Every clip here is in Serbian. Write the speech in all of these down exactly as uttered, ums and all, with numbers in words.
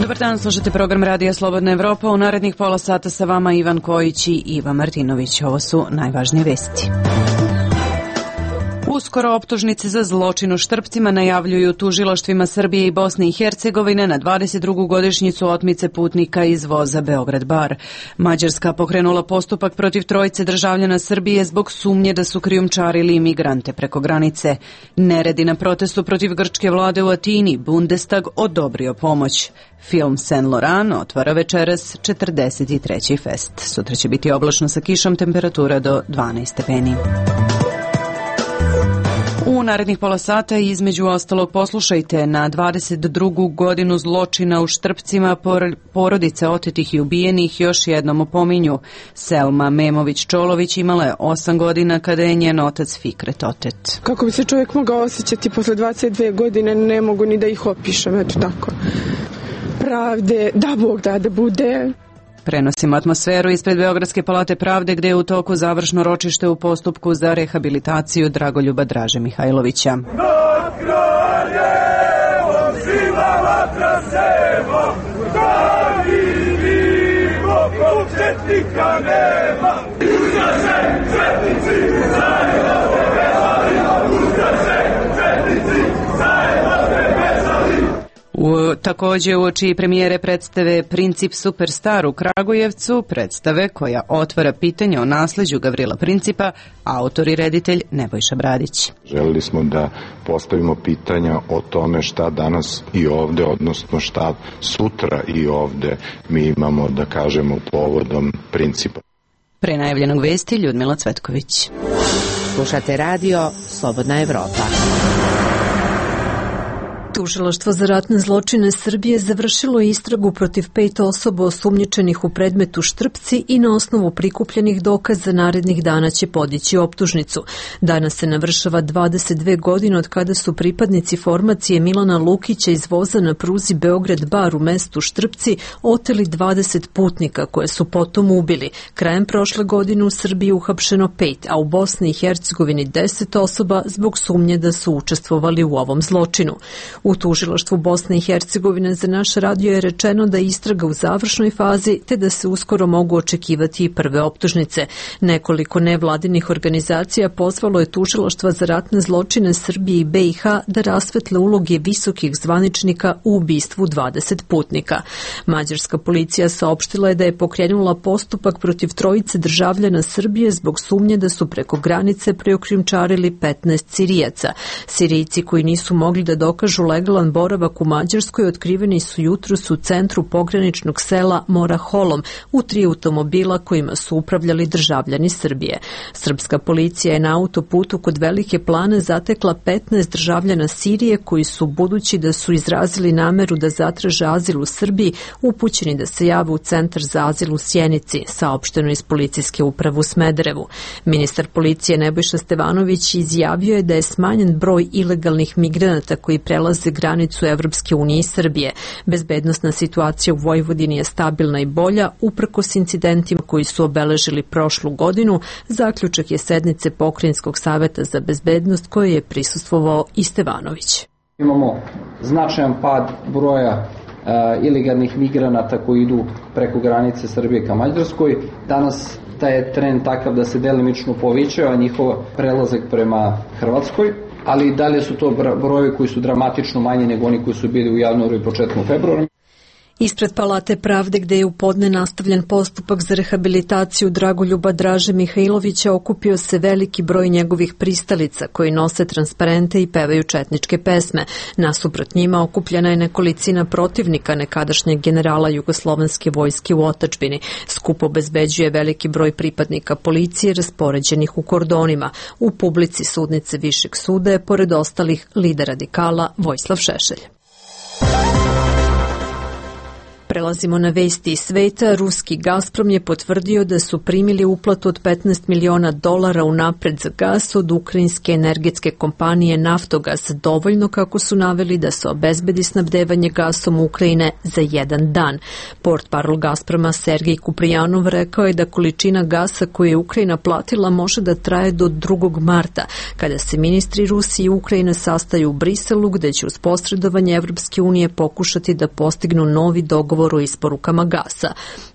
Dobar dan, slušate program Radija Slobodna Evropa. U narednih pola sata sa vama Ivan Kojić i Iva Martinović. Ovo su najvažnije vesti. Uskoro optužnice za zločin u Štrpcima najavljuju tužilaštvima Srbije i Bosne i Hercegovine na dvadeset drugu godišnjicu otmice putnika iz voza Beograd-Bar. Mađarska pokrenula postupak protiv trojice državljana Srbije zbog sumnje da su krijumčarili imigrante preko granice. Neredi na protestu protiv grčke vlade u Atini, Bundestag odobrio pomoć. Film Saint Laurent otvara večeras četrdeset treći fest. Sutra će biti oblačno sa kišom, temperatura do dvanaest stepeni. U narednih pola sata između ostalog poslušajte na dvadeset drugu godinu zločina u Štrpcima porodice otetih i ubijenih još jednom opominju. Selma Memović-Čolović imala je osam godina kada je njen otac Fikret otet. Kako bi se čovjek mogao osjećati posle dvadeset dve godine, ne mogu ni da ih opišem, eto tako. Pravde, da Bog da da bude. Prenosimo atmosferu ispred Beogradske palate pravde gde je u toku završno ročište u postupku za rehabilitaciju Dragoljuba Draže Mihajlovića. Nad kraljevom sila vatra sema, da vidimo početnika nema. Ustaše, četnici, zajedno ste vezali, ustaše, četnici, zajedno ste vezali. U, takođe uoči premijere predstave Princip Superstar u Kragujevcu, predstave koja otvara pitanje o nasleđu Gavrila Principa, autor i reditelj Nebojša Bradić. Želeli smo da postavimo pitanja o tome šta danas i ovde, odnosno šta sutra i ovde mi imamo da kažemo povodom Principa. Pre najavljenog vesti Ljudmila Cvetković. Slušate radio Slobodna Evropa. Tužilaštvo za ratne zločine Srbije završilo istragu protiv pet osoba osumnjičenih u predmetu Štrpci i na osnovu prikupljenih dokaza narednih dana će podići optužnicu. Danas se navršava dvadeset dve godine od kada su pripadnici formacije Milana Lukića iz voza na pruzi Beograd-Bar u mestu Štrpci oteli dvadeset putnika koje su potom ubili. Krajem prošle godine u Srbiji uhapšeno pet, a u Bosni i Hercegovini deset osoba zbog sumnje da su učestvovali u ovom zločinu. U tužilaštvu Bosne i Hercegovine za naš radio je rečeno da je istraga u završnoj fazi te da se uskoro mogu očekivati i prve optužnice. Nekoliko nevladinih organizacija pozvalo je tužilaštva za ratne zločine Srbije i B i H da rasvetle uloge visokih zvaničnika u ubistvu dvadeset putnika. Mađarska policija saopštila je da je pokrenula postupak protiv trojice državljana Srbije zbog sumnje da su preko granice preokrijumčarili petnaest Sirijaca. Sirijci koji nisu mogli da dokažu legalan boravak u Mađarskoj otkriveni su jutros u centru pograničnog sela Mora Holom u tri automobila kojima su upravljali državljani Srbije. Srpska policija je na autoputu kod Velike Plane zatekla petnaest državljana Sirije koji su, budući da su izrazili nameru da zatraže azil u Srbiji, upućeni da se jave u centar za azil u Sjenici, saopšteno iz policijske uprave u Smederevu. Ministar policije Nebojša Stevanović izjavio je da je smanjen broj ilegalnih migranata koji prelaze granicu Evropske unije i Srbije. Bezbednosna situacija u Vojvodini je stabilna i bolja, uprkos incidentima koji su obeležili prošlu godinu, zaključak je sednice Pokrajinskog saveta za bezbednost koje je prisustvovao i Stevanović. Imamo značajan pad broja uh, ilegalnih migranata koji idu preko granice Srbije ka Mađarskoj. Danas taj je trend takav da se delimično povećava njihov prelazak prema Hrvatskoj, ali dalje su to brojevi koji su dramatično manji nego oni koji su bili u januaru i početkom februara. Ispred Palate pravde gde je u podne nastavljen postupak za rehabilitaciju Dragoljuba Draže Mihajlovića okupio se veliki broj njegovih pristalica koji nose transparente i pevaju četničke pesme. Nasuprot njima okupljena je nekolicina protivnika nekadašnjeg generala Jugoslovenske vojske u otadžbini. Skup obezbeđuje veliki broj pripadnika policije raspoređenih u kordonima. U publici sudnice Višeg suda je pored ostalih lider radikala Vojislav Šešelj. Prelazimo na vesti iz sveta. Ruski Gazprom je potvrdio da su primili uplatu od petnaest miliona dolara unapred za gas od ukrajinske energetske kompanije Naftogaz, dovoljno, kako su naveli, da se obezbedi snabdevanje gasom Ukrajine za jedan dan. Portparol Gazproma Sergej Kuprijanov rekao je da količina gasa koju je Ukrajina platila može da traje do drugog marta, kada se ministri Rusije i Ukrajine sastaju u Briselu, gde će uz posredovanje Evropske unije pokušati da postignu novi dogovor o isporukama gasa.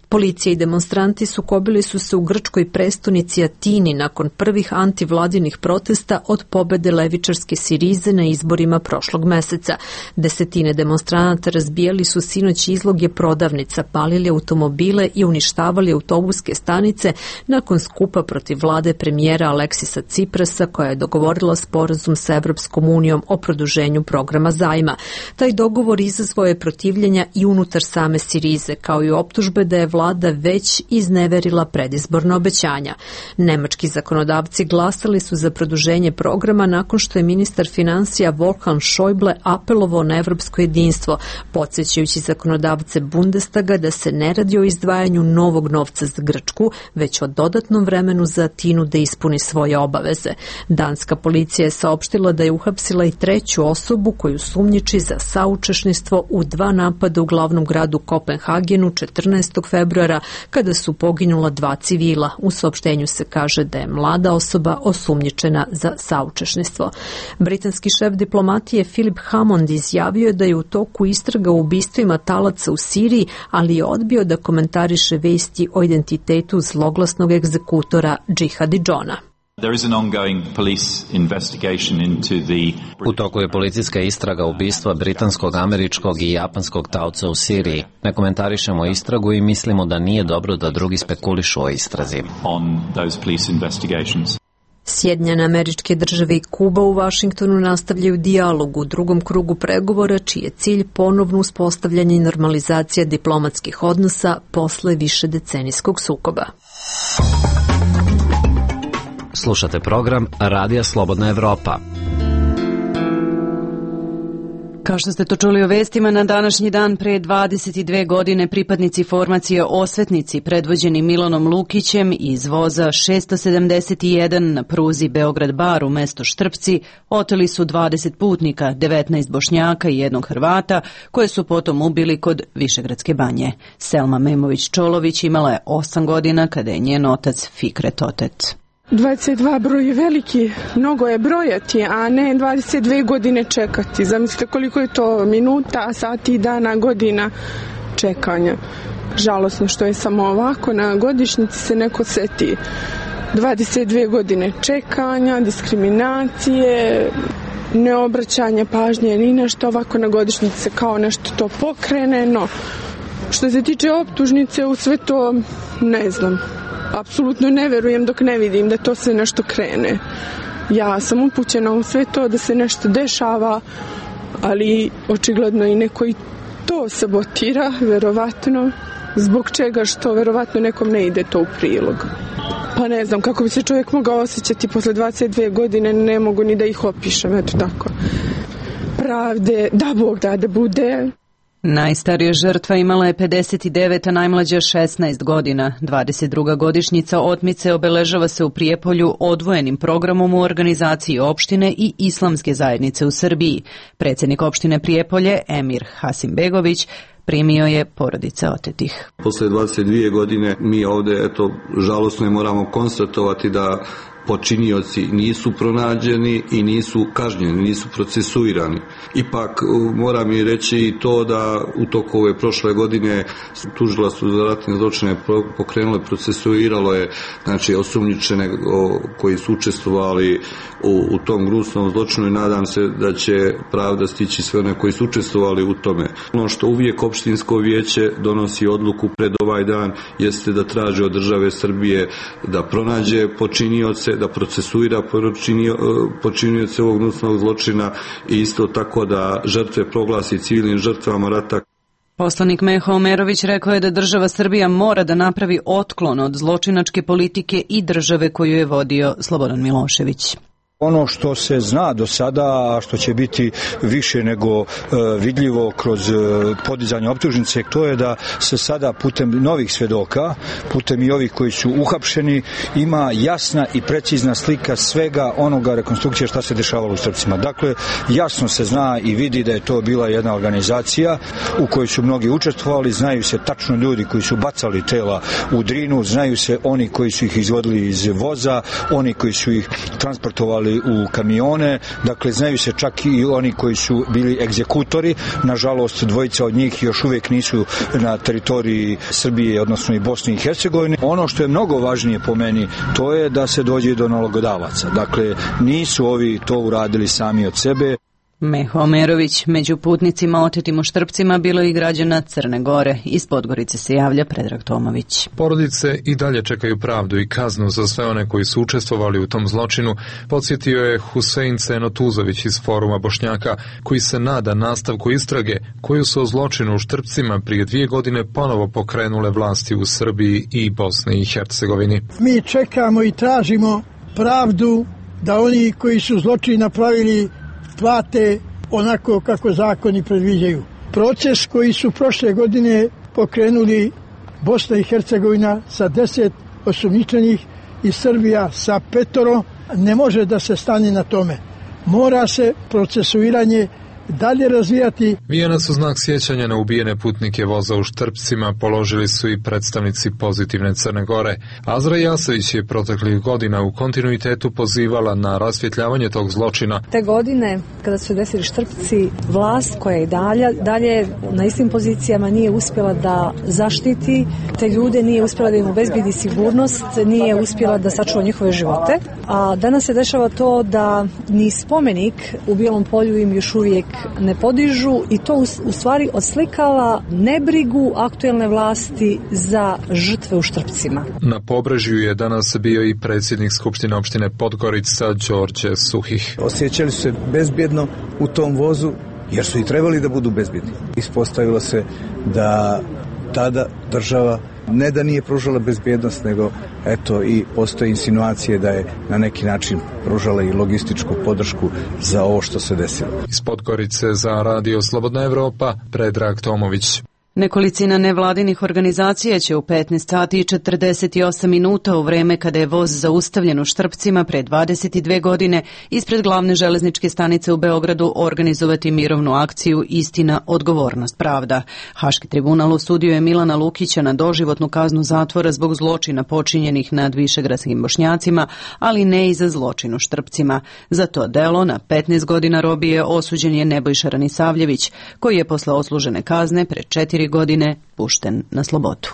Policija i demonstranti sukobili su se u grčkoj prestonici Atini nakon prvih antivladinih protesta od pobede levičarske Sirize na izborima prošlog meseca. Desetine demonstranata razbijali su sinoć izloge prodavnica, palili automobile i uništavali autobuske stanice nakon skupa protiv vlade premijera Aleksisa Ciprasa, koja je dogovorila sporazum sa Evropskom unijom o produženju programa zajma. Taj dogovor izazvao je protivljenja i unutar same Sirize, kao i optužbe da je vlada vlada već izneverila predizborna obećanja. Nemački zakonodavci glasali su za produženje programa nakon što je ministar finansija Wolfgang Schäuble apelovao na evropsko jedinstvo, podsjećajući zakonodavce Bundestaga da se ne radi o izdvajanju novog novca za Grčku, već o dodatnom vremenu za Atinu da ispuni svoje obaveze. Danska policija je saopštila da je uhapsila i treću osobu koju sumnjiči za saučesništvo u dva napada u glavnom gradu Kopenhagenu četrnaestog februara, kada su poginula dva civila. U saopštenju se kaže da je mlada osoba osumnjičena za saučesništvo. Britanski šef diplomatije Philip Hammond izjavio je da je u toku istraga o ubistvima talaca u Siriji, ali je odbio da komentariše vesti o identitetu zloglasnog egzekutora Džihadi Džona. U toku je policijska istraga ubistva britanskog, američkog i japanskog taoca u Siriji. Ne komentarišemo istragu i mislimo da nije dobro da drugi spekulišu o istrazi. Sjedinjene Američke Države i Kuba u Vašingtonu nastavljaju dijalog u drugom krugu pregovora, čiji je cilj ponovno uspostavljanje i normalizacija diplomatskih odnosa posle višedecenijskog sukoba. Slušate program Radija Slobodna Evropa. Kao što ste to čuli u vestima, na današnji dan pre dvadeset dve godine pripadnici formacije Osvetnici, predvođeni Milanom Lukićem iz voza šesto sedamdeset jedan na pruzi Beograd-Bar u mesto Štrpci, oteli su dvadeset putnika, devetnaest Bošnjaka i jednog Hrvata, koje su potom ubili kod Višegradske banje. Selma Memović-Čolović imala je osam godina kada je njen otac Fikret otet. dvadeset dva broj je veliki, mnogo je brojati, a ne dvadeset dve godine čekati. Zamislite koliko je to minuta, sati, dana, godina čekanja. Žalosno što je samo ovako, na godišnjici se neko seti dvadeset dve godine čekanja, diskriminacije, neobraćanje pažnje ni nešto, ovako na godišnjici se kao nešto to pokrene, no što se tiče optužnice u sve to ne znam. Apsolutno ne verujem dok ne vidim da to sve nešto krene. Ja sam upućena u sve to da se nešto dešava, ali očigledno i neko i to sabotira, verovatno. Zbog čega, što verovatno nekom ne ide to u prilog. Pa ne znam kako bi se čovjek mogao osjećati posle dvadeset dve godine, ne mogu ni da ih opišem, eto tako. Pravde, da Bog da da bude. Najstarija žrtva imala je pedeset devet, a najmlađa šesnaest godina. dvadeset druga godišnjica otmice obeležava se u Prijepolju odvojenim programom u organizaciji opštine i islamske zajednice u Srbiji. Predsjednik opštine Prijepolje, Emir Hasimbegović, primio je porodice otetih. Posle dvadeset dve godine mi ovde, eto, žalosno je moramo konstatovati da počinioci nisu pronađeni i nisu kažnjeni, nisu procesuirani. Ipak moram i reći i to da u toku ove prošle godine tužilaštvo za ratne zločine pokrenulo i procesuiralo je, znači, osumnjičene koji su učestvovali u, u tom gnusnom zločinu i nadam se da će pravda stići sve one koji su učestvovali u tome. Ono što uvijek opštinsko vijeće donosi odluku pred ovaj dan jeste da traži od države Srbije da pronađe počinioce, da procesuira počinioce ovog gnusnog zločina i isto tako da žrtve proglasi civilnim žrtvama rata. Poslanik Meho Omerović rekao je da država Srbija mora da napravi otklon od zločinačke politike i države koju je vodio Slobodan Milošević. Ono što se zna do sada, a što će biti više nego e, vidljivo kroz e, podizanje optužnice, to je da se sada putem novih svedoka, putem i ovih koji su uhapšeni, ima jasna i precizna slika svega onoga rekonstrukcije šta se dešavalo u Štrpcima. Dakle, jasno se zna i vidi da je to bila jedna organizacija u kojoj su mnogi učestvovali, znaju se tačno ljudi koji su bacali tela u Drinu, znaju se oni koji su ih izvodili iz voza, oni koji su ih transportovali u kamione, dakle znaju se čak i oni koji su bili egzekutori. Nažalost, dvojica od njih još uvijek nisu na teritoriji Srbije, odnosno i Bosne i Hercegovine. Ono što je mnogo važnije po meni, to je da se dođe do nalogodavaca. Dakle, nisu ovi to uradili sami od sebe. Meho Omerović, među putnicima otetim u Štrpcima bilo i građana Crne Gore. Iz Podgorice se javlja Predrag Tomović. Porodice i dalje čekaju pravdu i kaznu za sve one koji su učestvovali u tom zločinu, podsjetio je Husein Cenotuzović iz Foruma Bošnjaka, koji se nada nastavku istrage koju su o zločinu u Štrpcima prije dvije godine ponovo pokrenule vlasti u Srbiji i Bosni i Hercegovini. Mi čekamo i tražimo pravdu da oni koji su zločin napravili plate onako kako zakoni predviđaju. Proces koji su prošle godine pokrenuli Bosna i Hercegovina sa deset osumnjičenih i Srbija sa petoro, ne može da se stane na tome. Mora se procesuiranje dalje razvijati. Vijenac u znak sjećanja na ubijene putnike voza u Štrpcima položili su i predstavnici Pozitivne Crne Gore. Azra Jasević je proteklih godina u kontinuitetu pozivala na rasvjetljavanje tog zločina. Te godine, kada su desili Štrpci, vlast koja je dalje, dalje na istim pozicijama nije uspjela da zaštiti te ljude, nije uspjela da im obezbedi sigurnost, nije uspjela da sačuva njihove živote. A danas se dešava to da ni spomenik u Bijelom polju im još uvijek ne podižu i to u stvari oslikava nebrigu aktuelne vlasti za žrtve u Štrpcima. Na Pobrežju je danas bio i predsjednik Skupštine opštine Podgorica Đorđe Suhih. Osjećali su se bezbjedno u tom vozu jer su i trebali da budu bezbjedni. Ispostavilo se da tada država ne da nije pružala bezbjednost, nego eto i postoje insinuacije da je na neki način pružala i logističku podršku za ovo što se desilo. Iz Podgorice za Radio Slobodna Evropa, Predrag Tomović. Nekolicina nevladinih organizacija će u petnaest sati i četrdeset osam minuta u vreme kada je voz zaustavljen u Štrpcima pre dvadeset dve godine ispred glavne železničke stanice u Beogradu organizovati mirovnu akciju Istina, odgovornost, pravda. Haški tribunal osudio je Milana Lukića na doživotnu kaznu zatvora zbog zločina počinjenih nad višegradskim Bošnjacima, ali ne i za zločin u Štrpcima. Za to delo na petnaest godina robije osuđen je Nebojša Ranisavljević, koji je posle odslužene kazne pre četiri godine pušten na slobodu.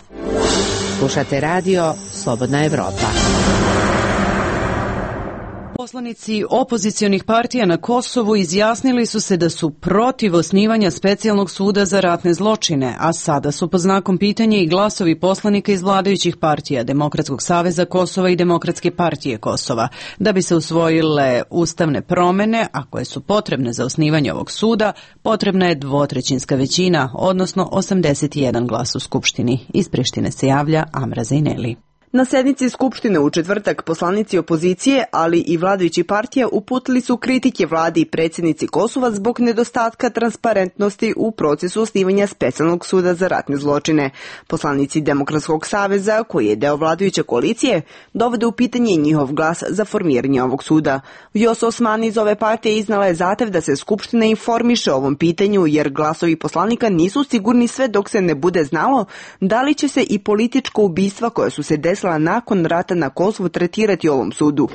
Slušate radio Slobodna Evropa. Poslanici opozicionih partija na Kosovu izjasnili su se da su protiv osnivanja specijalnog suda za ratne zločine, a sada su pod znakom pitanja i glasovi poslanika iz vladajućih partija Demokratskog saveza Kosova i Demokratske partije Kosova. Da bi se usvojile ustavne promene, a koje su potrebne za osnivanje ovog suda, potrebna je dvotrećinska većina, odnosno osamdeset jedan glas u Skupštini. Iz Prištine se javlja Amra Zajneli. Na sednici Skupštine u četvrtak poslanici opozicije, ali i vladajući partija uputili su kritike vladi i predsjednici Kosova zbog nedostatka transparentnosti u procesu osnivanja specijalnog suda za ratne zločine. Poslanici Demokratskog saveza, koji je deo vladajuće koalicije, dovode u pitanje njihov glas za formiranje ovog suda. Vjosa Osmani iz ove partije iznala je zahtev da se Skupština informiše o ovom pitanju, jer glasovi poslanika nisu sigurni sve dok se ne bude znalo da li će se i političko ubistva koja su se desila nakon rata na Kosovu tretirati ovom sudu.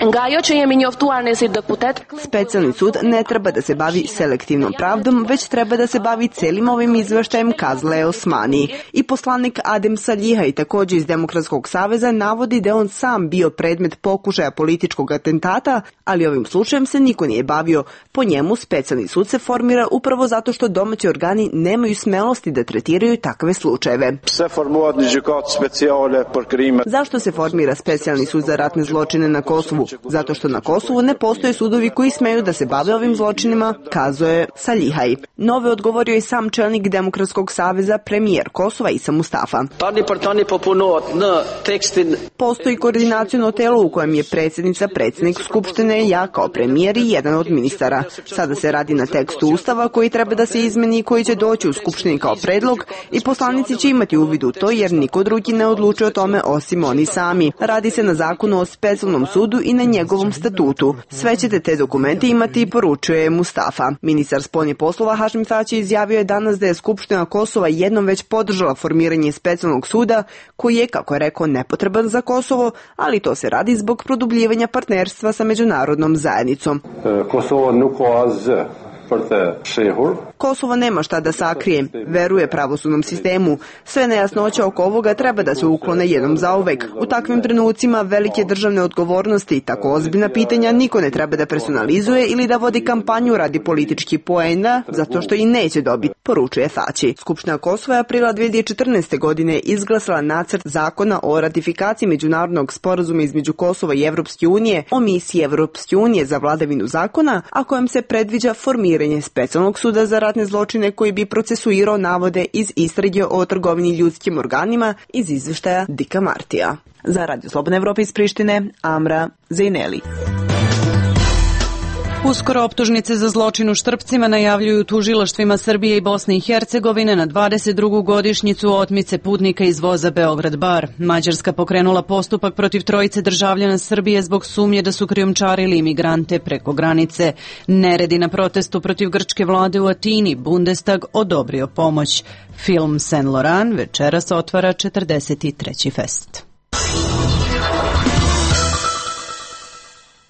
Specijalni sud ne treba da se bavi selektivnom pravdom, već treba da se bavi celim ovim izveštajem, kazala je Osmani. I poslanik Adem Salihaj, također iz Demokratskog saveza, navodi da on sam bio predmet pokušaja političkog atentata, ali ovim slučajem se niko nije bavio. Po njemu specijalni sud se formira upravo zato što domaći organi nemaju smelosti da tretiraju takve slučajeve. Zašto zašto se formira specijalni sud za ratne zločine na Kosovu? Zato što na Kosovu ne postoje sudovi koji smeju da se bave ovim zločinima, kazuje Salihaj. Nove odgovorio je sam čelnik Demokratskog saveza, premijer Kosova Isa Mustafa. Postoji koordinaciono telo u kojem je predsjednica, predsjednik Skupštine, ja kao premijer i jedan od ministara. Sada se radi na tekstu Ustava koji treba da se izmeni i koji će doći u Skupštini kao predlog i poslanici će imati uvid u to jer niko drugi ne odlučuje o tome osim oni sami. Radi se na zakonu o specijalnom sudu i na njegovom statutu. Sve ćete te dokumente imati, poručuje Mustafa. Ministar spoljnih poslova Hašim Tači izjavio je danas da je Skupština Kosova jednom već podržala formiranje specijalnog suda koji je, kako je rekao, nepotreban za Kosovo, ali to se radi zbog produbljivanja partnerstva sa međunarodnom zajednicom. Kosovo nuko az Kosovo nema šta da sakrije, veruje pravosudnom sistemu. Sve nejasnoće oko ovoga treba da se uklone jednom zauvek. U takvim trenucima velike državne odgovornosti i tako ozbiljna pitanja niko ne treba da personalizuje ili da vodi kampanju radi političkih poena, zato što i neće dobiti, poručuje Thači. Skupština Kosova je aprila dve hiljade četrnaeste. godine izglasala nacrt zakona o ratifikaciji međunarodnog sporazuma između Kosova i Evropske unije o misiji Evropske unije za vladavinu zakona, a kojem se predviđa formiranje specijalnog suda za ratne zločine koji bi procesuirao navode iz istrage o trgovini ljudskim organima iz izveštaja Dika Martija. Za Radio Slobodna Evropa iz Prištine, Amra Zejneli. Uskoro optužnice za zločin u Štrpcima najavljuju tužilaštvima Srbije i Bosne i Hercegovine na dvadeset drugu godišnjicu otmice putnika iz voza Beograd-Bar. Mađarska pokrenula postupak protiv trojice državljana Srbije zbog sumnje da su krijumčarili imigrante preko granice. Neredi na protestu protiv grčke vlade u Atini, Bundestag odobrio pomoć. Film Saint Laurent večeras otvara četrdeset treći fest.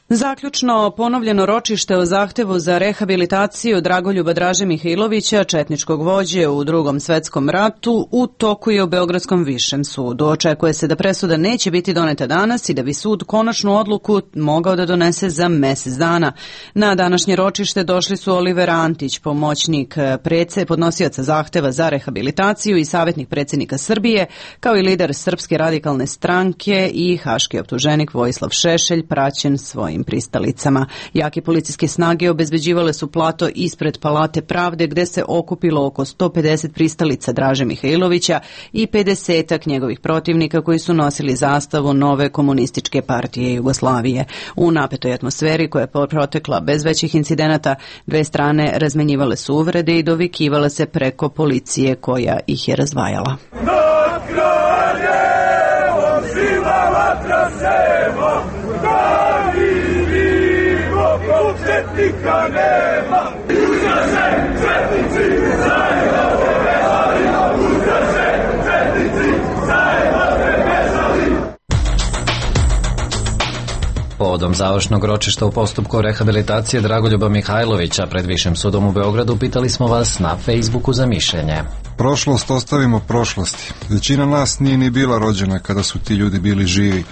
Zaključno ponovljeno ročište o zahtevu za rehabilitaciju Dragoljuba Draže Mihajlovića, četničkog vođe u Drugom svetskom ratu, u toku je u Beogradskom višem sudu. Očekuje se da presuda neće biti doneta danas i da bi sud konačnu odluku mogao da donese za mesec dana. Na današnje ročište došli su Oliver Antić, pomoćnik prece, podnosioca zahteva za rehabilitaciju i savjetnik predsjednika Srbije, kao i lider Srpske radikalne stranke i haški optuženik Vojislav Šešelj, praćen svojim pristalicama. Jake policijske snage obezbeđivale su plato ispred Palate pravde gde se okupilo oko sto pedeset pristalica Draže Mihajlovića i pedesetak njegovih protivnika koji su nosili zastavu Nove komunističke partije Jugoslavije. U napetoj atmosferi koja je protekla bez većih incidenata, dve strane razmenjivale su uvrede i dovikivale se preko policije koja ih je razdvajala. Nad kraljevom žila vatra sema, da vidimo ko četnika nema. Ustaše, četnici, zajedno se vezali, ustaše, četnici, zajedno se vezali. Povodom završnog ročišta u postupku rehabilitacije Dragoljuba Mihajlovića pred Višim sudom u Beogradu pitali smo vas na Facebooku za mišljenje. Prošlost ostavimo prošlosti. Većina nas nije ni bila rođena kada su ti ljudi bili živi.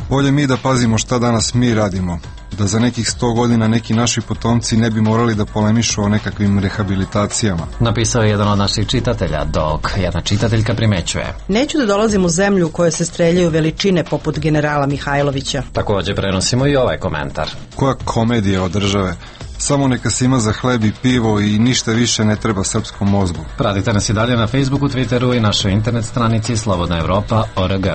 Bolje mi da pazimo šta danas mi radimo, da za nekih sto godina neki naši potomci ne bi morali da polemišu o nekakvim rehabilitacijama. Napisao je jedan od naših čitatelja, dok jedna čitateljka primećuje. Neću da dolazim u zemlju u kojoj se streljaju veličine poput generala Mihajlovića. Također prenosimo i ovaj komentar. Koja komedija od države. Samo neka se ima za hleb i pivo i ništa više ne treba srpskom mozgu. Pratite nas i dalje na Facebooku, Twitteru i našoj internet stranici slobodna evropa tačka org.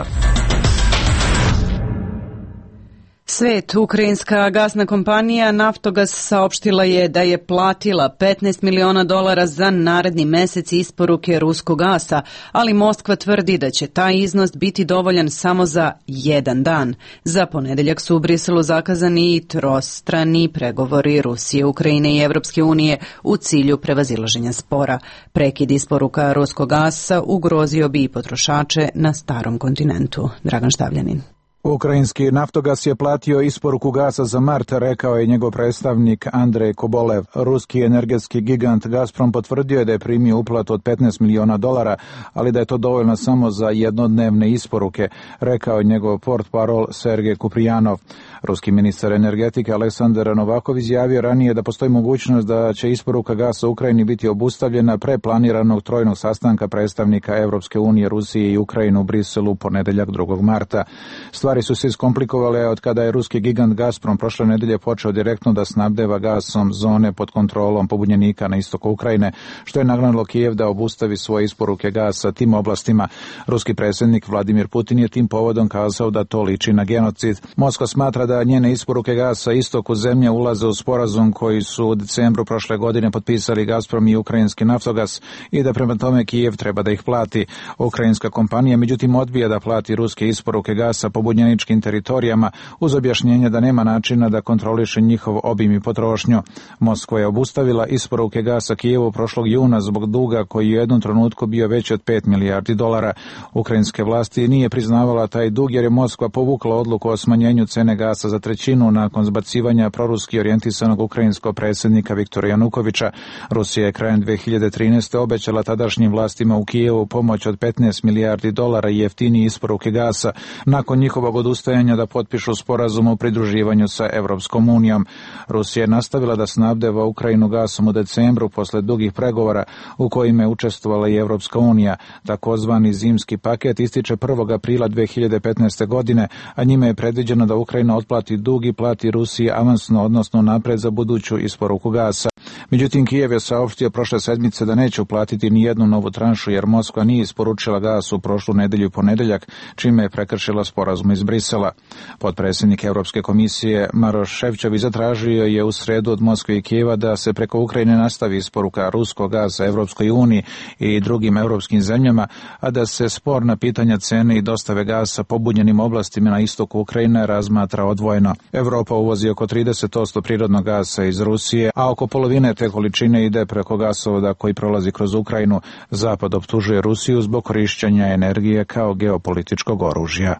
Svet, ukrajinska gasna kompanija Naftogaz saopštila je da je platila petnaest miliona dolara za naredni mesec isporuke ruskog gasa, ali Moskva tvrdi da će taj iznos biti dovoljan samo za jedan dan. Za ponedeljak su u Briselu zakazani i trostrani pregovori Rusije, Ukrajine i Evropske unije u cilju prevazilaženja spora. Prekid isporuka ruskog gasa ugrozio bi i potrošače na starom kontinentu. Dragan Štavljanin. Ukrajinski Naftogas je platio isporuku gasa za mart, rekao je njegov predstavnik Andrej Kobolev. Ruski energetski gigant Gazprom potvrdio je da je primio uplatu od petnaest miliona dolara, ali da je to dovoljno samo za jednodnevne isporuke, rekao je njegov portparol Sergej Kuprijanov. Ruski ministar energetike Aleksandar Novakov izjavio ranije da postoji mogućnost da će isporuka gasa Ukrajini biti obustavljena pre planiranog trojnog sastanka predstavnika Evropske unije, Rusije i Ukrajine u Briselu ponedeljak drugog marta. Stvari su se iskomplikovale od kada je ruski gigant Gazprom prošle nedelje počeo direktno da snabdeva gasom zone pod kontrolom pobunjenika na istoku Ukrajine, što je nagnalo Kijev da obustavi svoje isporuke gasa tim oblastima. Ruski predsjednik Vladimir Putin je tim povodom kazao da to liči na genocid. Moskva smatra da njene isporuke gasa istoku zemlje ulaze u sporazum koji su u decembru prošle godine potpisali Gazprom i ukrajinski Naftogas i da prema tome Kijev treba da ih plati. Ukrajinska kompanija međutim odbija da plati ruske isporuke gasa pobunjeničkim teritorijama uz objašnjenje da nema načina da kontroliše njihov obim i potrošnju. Moskva je obustavila isporuke gasa Kijevu prošlog juna zbog duga koji je u jednom trenutku bio veći od pet milijardi dolara. Ukrajinske vlasti nije priznavala taj dug jer je Moskva povukla odluku o smanjenju cene gasa za trećinu nakon zbacivanja proruski orijentisanog ukrajinskog predsjednika Viktora Janukovića. Rusija je krajem dve hiljade trinaeste. obećala tadašnjim vlastima u Kijevu pomoć od petnaest milijardi dolara i jeftinije isporuke gasa nakon njihovog odustajanja da potpišu sporazum o pridruživanju sa Evropskom unijom. Rusija je nastavila da snabdeva Ukrajinu gasom u decembru posle dugih pregovora u kojima je učestvovala i Evropska unija. Takozvani zimski paket ističe prvog aprila dve hiljade petnaeste. godine, a njime je predviđeno da Ukrajina otplati dug i plati Rusiji avansno, odnosno napred za buduću isporuku gasa. Međutim, Kijev je saopštio prošle sedmice da neće uplatiti ni jednu novu tranšu jer Moskva nije isporučila gas u prošlu nedelju i ponedeljak, čime je prekršila sporazum iz Brisela. Potpredsjednik Evropske komisije Maroš Šefčović zatražio je u sredu od Moskve i Kijeva da se preko Ukrajine nastavi isporuka ruskog gasa Evropskoj uniji i drugim evropskim zemljama, a da se sporna pitanja cene i dostave gasa pobunjenim oblastima na istoku Ukrajine razmatra odvojeno. Evropa uvozi oko trideset posto prirodnog gasa iz Rusije, a oko polovine te količine ide preko gasovoda koji prolazi kroz Ukrajinu. Zapad optužuje Rusiju zbog korišćenja energije kao geopolitičkog oružja.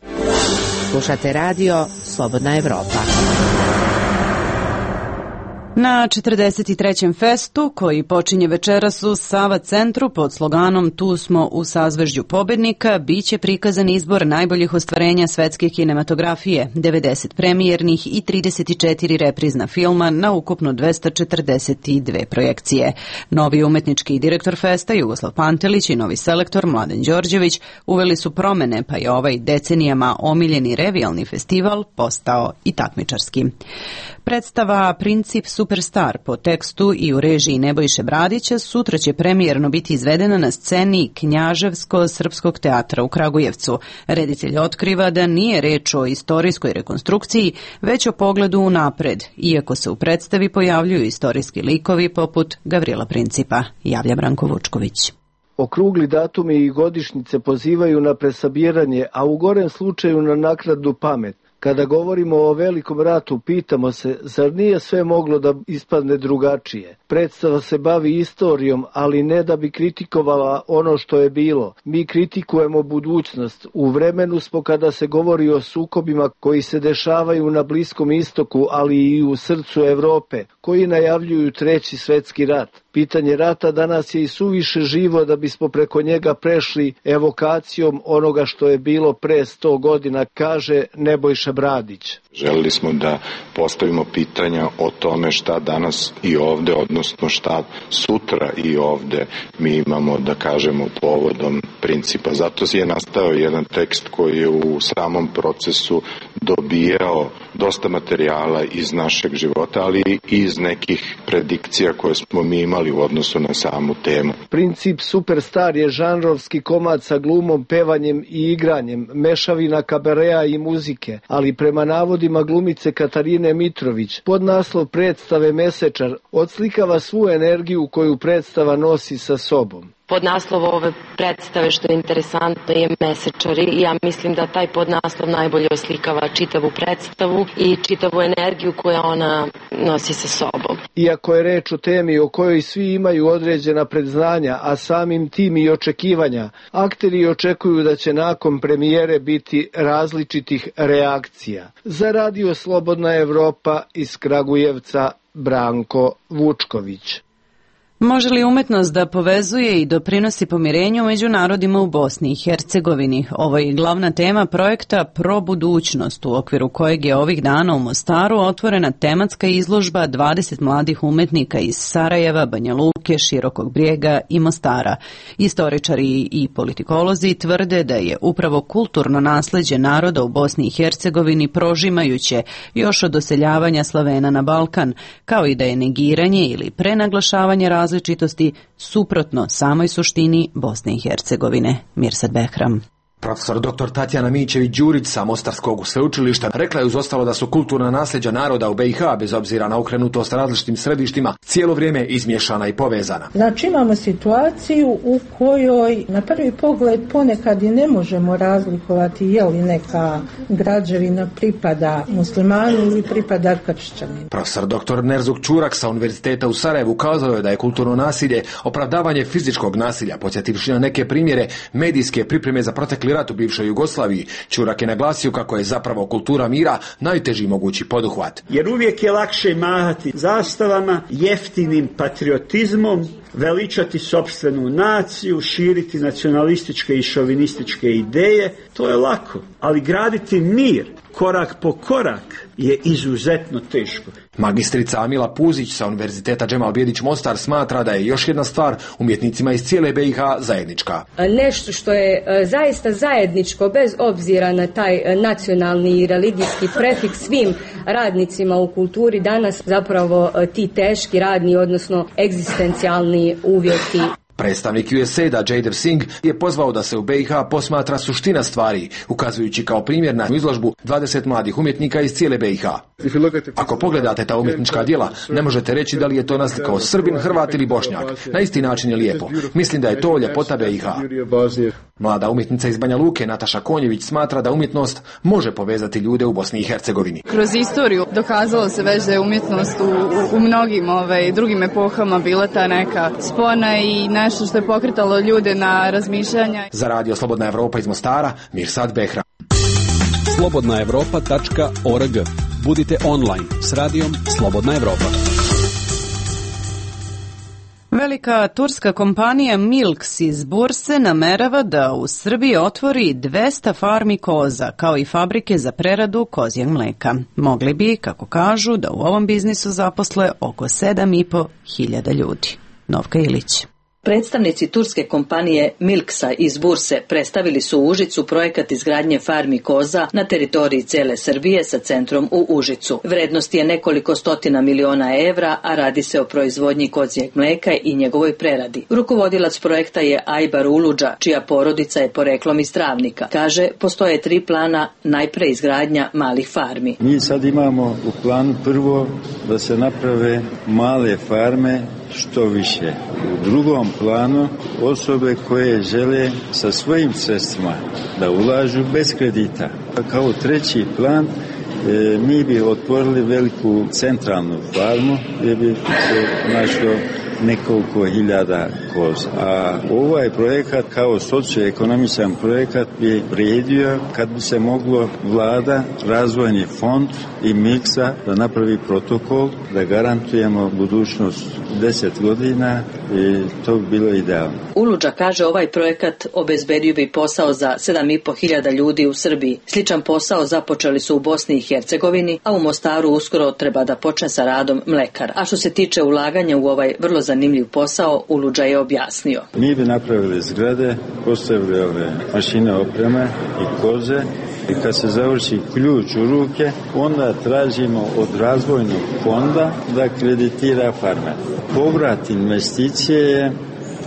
Slušate radio Slobodna Evropa. Na četrdeset trećem festu, koji počinje večeras u Sava centru pod sloganom Tu smo u sazvežđu pobednika, biće prikazan izbor najboljih ostvarenja svetske kinematografije, devedeset premijernih i trideset četiri reprizna filma na ukupno dvesta četrdeset dve projekcije. Novi umetnički direktor festa Jugoslav Pantelić i novi selektor Mladen Đorđević uveli su promene, pa je ovaj decenijama omiljeni revijalni festival postao i takmičarski. Predstava Princip Superstar po tekstu i u režiji Nebojše Bradića sutra će premijerno biti izvedena na sceni Knjaževsko-srpskog teatra u Kragujevcu. Reditelj otkriva da nije reč o istorijskoj rekonstrukciji, već o pogledu unapred, iako se u predstavi pojavljuju istorijski likovi poput Gavrila Principa, javlja Branko Vučković. Okrugli datumi i godišnjice pozivaju na presabiranje, a u gorem slučaju na naknadnu pamet. Kada govorimo o velikom ratu, pitamo se, zar nije sve moglo da ispadne drugačije? Predstava se bavi istorijom, ali ne da bi kritikovala ono što je bilo. Mi kritikujemo budućnost. U vremenu smo kada se govori o sukobima koji se dešavaju na Bliskom istoku, ali i u srcu Evrope, koji najavljuju treći svetski rat. Pitanje rata danas je i suviše živo da bismo preko njega prešli evokacijom onoga što je bilo pre sto godina, kaže Nebojša Bradić. Želeli smo da postavimo pitanja o tome šta danas i ovde, odnosno šta sutra i ovde mi imamo da kažemo povodom principa. Zato je nastao jedan tekst koji je u samom procesu dobijao dosta materijala iz našeg života, ali i iz nekih predikcija koje smo mi imali u odnosu na samu temu. Princip Superstar je žanrovski komad sa glumom, pevanjem i igranjem, mešavina kabarea i muzike, ali prema navodima glumice Katarine Mitrović, pod naslov predstave Mesečar odslikava svu energiju koju predstava nosi sa sobom. Podnaslov ove predstave, što je interesantno, je Mesečari i ja mislim da taj podnaslov najbolje oslikava čitavu predstavu i čitavu energiju koja ona nosi sa sobom. Iako je reč o temi o kojoj svi imaju određena predznanja, a samim tim i očekivanja, akteri očekuju da će nakon premijere biti različitih reakcija. Za Radio Slobodna Evropa iz Kragujevca, Branko Vučković. Može li umetnost da povezuje i doprinosi pomirenju među narodima u Bosni i Hercegovini? Ovo je glavna tema projekta Pro budućnost, u okviru kojeg je ovih dana u Mostaru otvorena tematska izložba dvadeset mladih umetnika iz Sarajeva, Banja Luke, Širokog Brijega i Mostara. Istoričari i politikolozi tvrde da je upravo kulturno nasleđe naroda u Bosni i Hercegovini prožimajuće još od doseljavanja Slavena na Balkan, kao i da je negiranje ili prenaglašavanje različitosti različitosti suprotno samoj suštini Bosne i Hercegovine. Mirsad Behram. Profesor doktor Tatjana Mićević-Đurić sa Mostarskog sveučilišta rekla je uz ostalo da su kulturna nasljeđa naroda u B i H, bez obzira na okrenutost različitim središtima, cijelo vrijeme izmiješana i povezana. Znači imamo situaciju u kojoj na prvi pogled ponekad i ne možemo razlikovati je li neka građevina pripada muslimanu ili pripada kršćaninu. Profesor doktor Nerzuk Čurak sa Univerziteta u Sarajevu kazao je da je kulturno nasilje opravdavanje fizičkog nasilja, podsjetivši na neke primjere medijske pripreme za protekli rat u bivšoj Jugoslaviji. Čurak je naglasio kako je zapravo kultura mira najteži mogući poduhvat. Jer uvijek je lakše mahati zastavama, jeftinim patriotizmom, veličati sopstvenu naciju, širiti nacionalističke i šovinističke ideje, to je lako. Ali graditi mir, korak po korak, je izuzetno teško. Magistrica Amila Puzić sa Univerziteta Džemal Bijedić Mostar smatra da je još jedna stvar umjetnicima iz cijele B i H zajednička. Nešto što je zaista zajedničko bez obzira na taj nacionalni i religijski prefiks svim radnicima u kulturi danas, zapravo ti teški radni, odnosno egzistencijalni uvjeti. Predstavnik U S A I D-a Jaidev Singh je pozvao da se u B i H posmatra suština stvari, ukazujući kao primjer na izložbu dvadeset mladih umjetnika iz cijele B i H. Ako pogledate ta umjetnička djela, ne možete reći da li je to naslikao Srbin, Hrvat ili Bošnjak. Na isti način je lijepo. Mislim da je to ljepota B i H. Mlada umjetnica iz Banja Luke, Nataša Konjević, smatra da umjetnost može povezati ljude u Bosni i Hercegovini. Kroz istoriju dokazalo se već da je umjetnost u, u, u mnogim ovaj, drugim epohama bila ta neka spona i nešto što je pokretalo ljude na razmišljanja. Za Radio Slobodna Evropa iz Mostara, Mirsad Behram. slobodna evropa tačka org. Budite online s radijom Slobodna Evropa. Velika turska kompanija Milks iz Burse namerava da u Srbiji otvori dvesta farmi koza, kao i fabrike za preradu kozjeg mleka. Mogli bi, kako kažu, da u ovom biznisu zaposle oko sedam i po hiljada ljudi. Novka Ilić. Predstavnici turske kompanije Milksa iz Burse predstavili su u Užicu projekat izgradnje farmi koza na teritoriji cele Srbije sa centrom u Užicu. Vrednost je nekoliko stotina miliona evra, a radi se o proizvodnji kozjeg mleka i njegovoj preradi. Rukovodilac projekta je Ajbar Uludža, čija porodica je poreklom iz Travnika. Kaže, postoje tri plana, najpre izgradnja malih farmi. Mi sad imamo u planu prvo da se naprave male farme što više. U drugom planu osobe koje žele sa svojim sredstvima da ulažu bez kredita. Kao treći plan e, mi bi otvorili veliku centralnu farmu gdje bi se našlo nekoliko hiljada koza. A ovaj projekat kao socioekonomičan projekat bi vrijedio kad bi se moglo vlada, razvojni fond i Milksa da napravi protokol da garantujemo budućnost deset godina i to bi bilo idealno. Uludža kaže ovaj projekat obezbedio bi posao za sedam i po hiljada ljudi u Srbiji. Sličan posao započeli su u Bosni i Hercegovini, a u Mostaru uskoro treba da počne sa radom mlekar. A što se tiče ulaganja u ovaj vrlo zanimljiv posao, Uludža je objasnio. Mi bi napravili zgrade, postavili ove mašine, opreme i koze i kad se završi ključ u ruke, onda tražimo od razvojnog fonda da kreditira farme. Povrat investicije je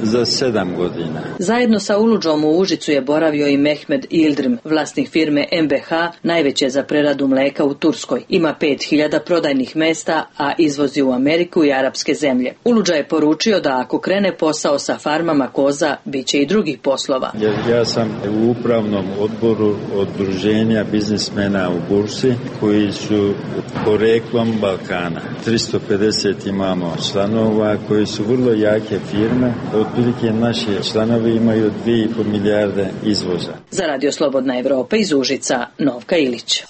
za sedam godina. Zajedno sa Uludžom u Užicu je boravio i Mehmed Ildrim, vlasnik firme M B H, najveće za preradu mleka u Turskoj. Ima pet hiljada prodajnih mesta, a izvozi u Ameriku i arapske zemlje. Uludža je poručio da ako krene posao sa farmama koza, bit će i drugih poslova. Ja, ja sam u upravnom odboru Udruženja biznismena u Bursi koji su poreklom Balkana. tristo pedeset imamo članova koji su vrlo jake firme. Otprilike naši članovi imaju dvije i pol milijarde izvoza. Za Radio Slobodna Evropa iz Užica, Novka Ilić.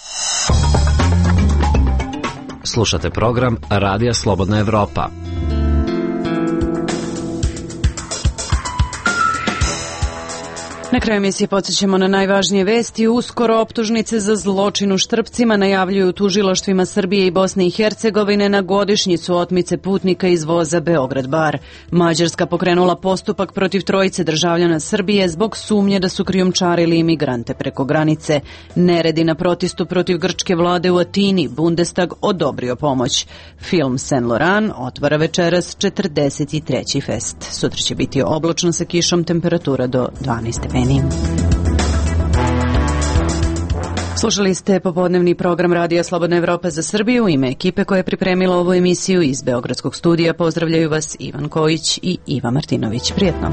Slušate program Radija Slobodna Evropa. Na kraju emisije podsjećamo na najvažnije vesti. Uskoro optužnice za zločin u Štrpcima najavljuju tužilaštvima Srbije i Bosne i Hercegovine na godišnjicu otmice putnika iz voza Beograd-Bar. Mađarska pokrenula postupak protiv trojice državljana Srbije zbog sumnje da su krijumčarili imigrante preko granice. Neredi na protestu protiv grčke vlade u Atini, Bundestag odobrio pomoć. Film Saint Laurent otvara večeras četrdeset treći fest. Sutra će biti oblačno sa kišom, temperatura do dvanaest stepeni. Slušali ste popodnevni program Radija Slobodna Evropa za Srbiju. U ime ekipe koja je pripremila ovu emisiju iz Beogradskog studija pozdravljaju vas Ivan Kojić i Iva Martinović. Prijetno.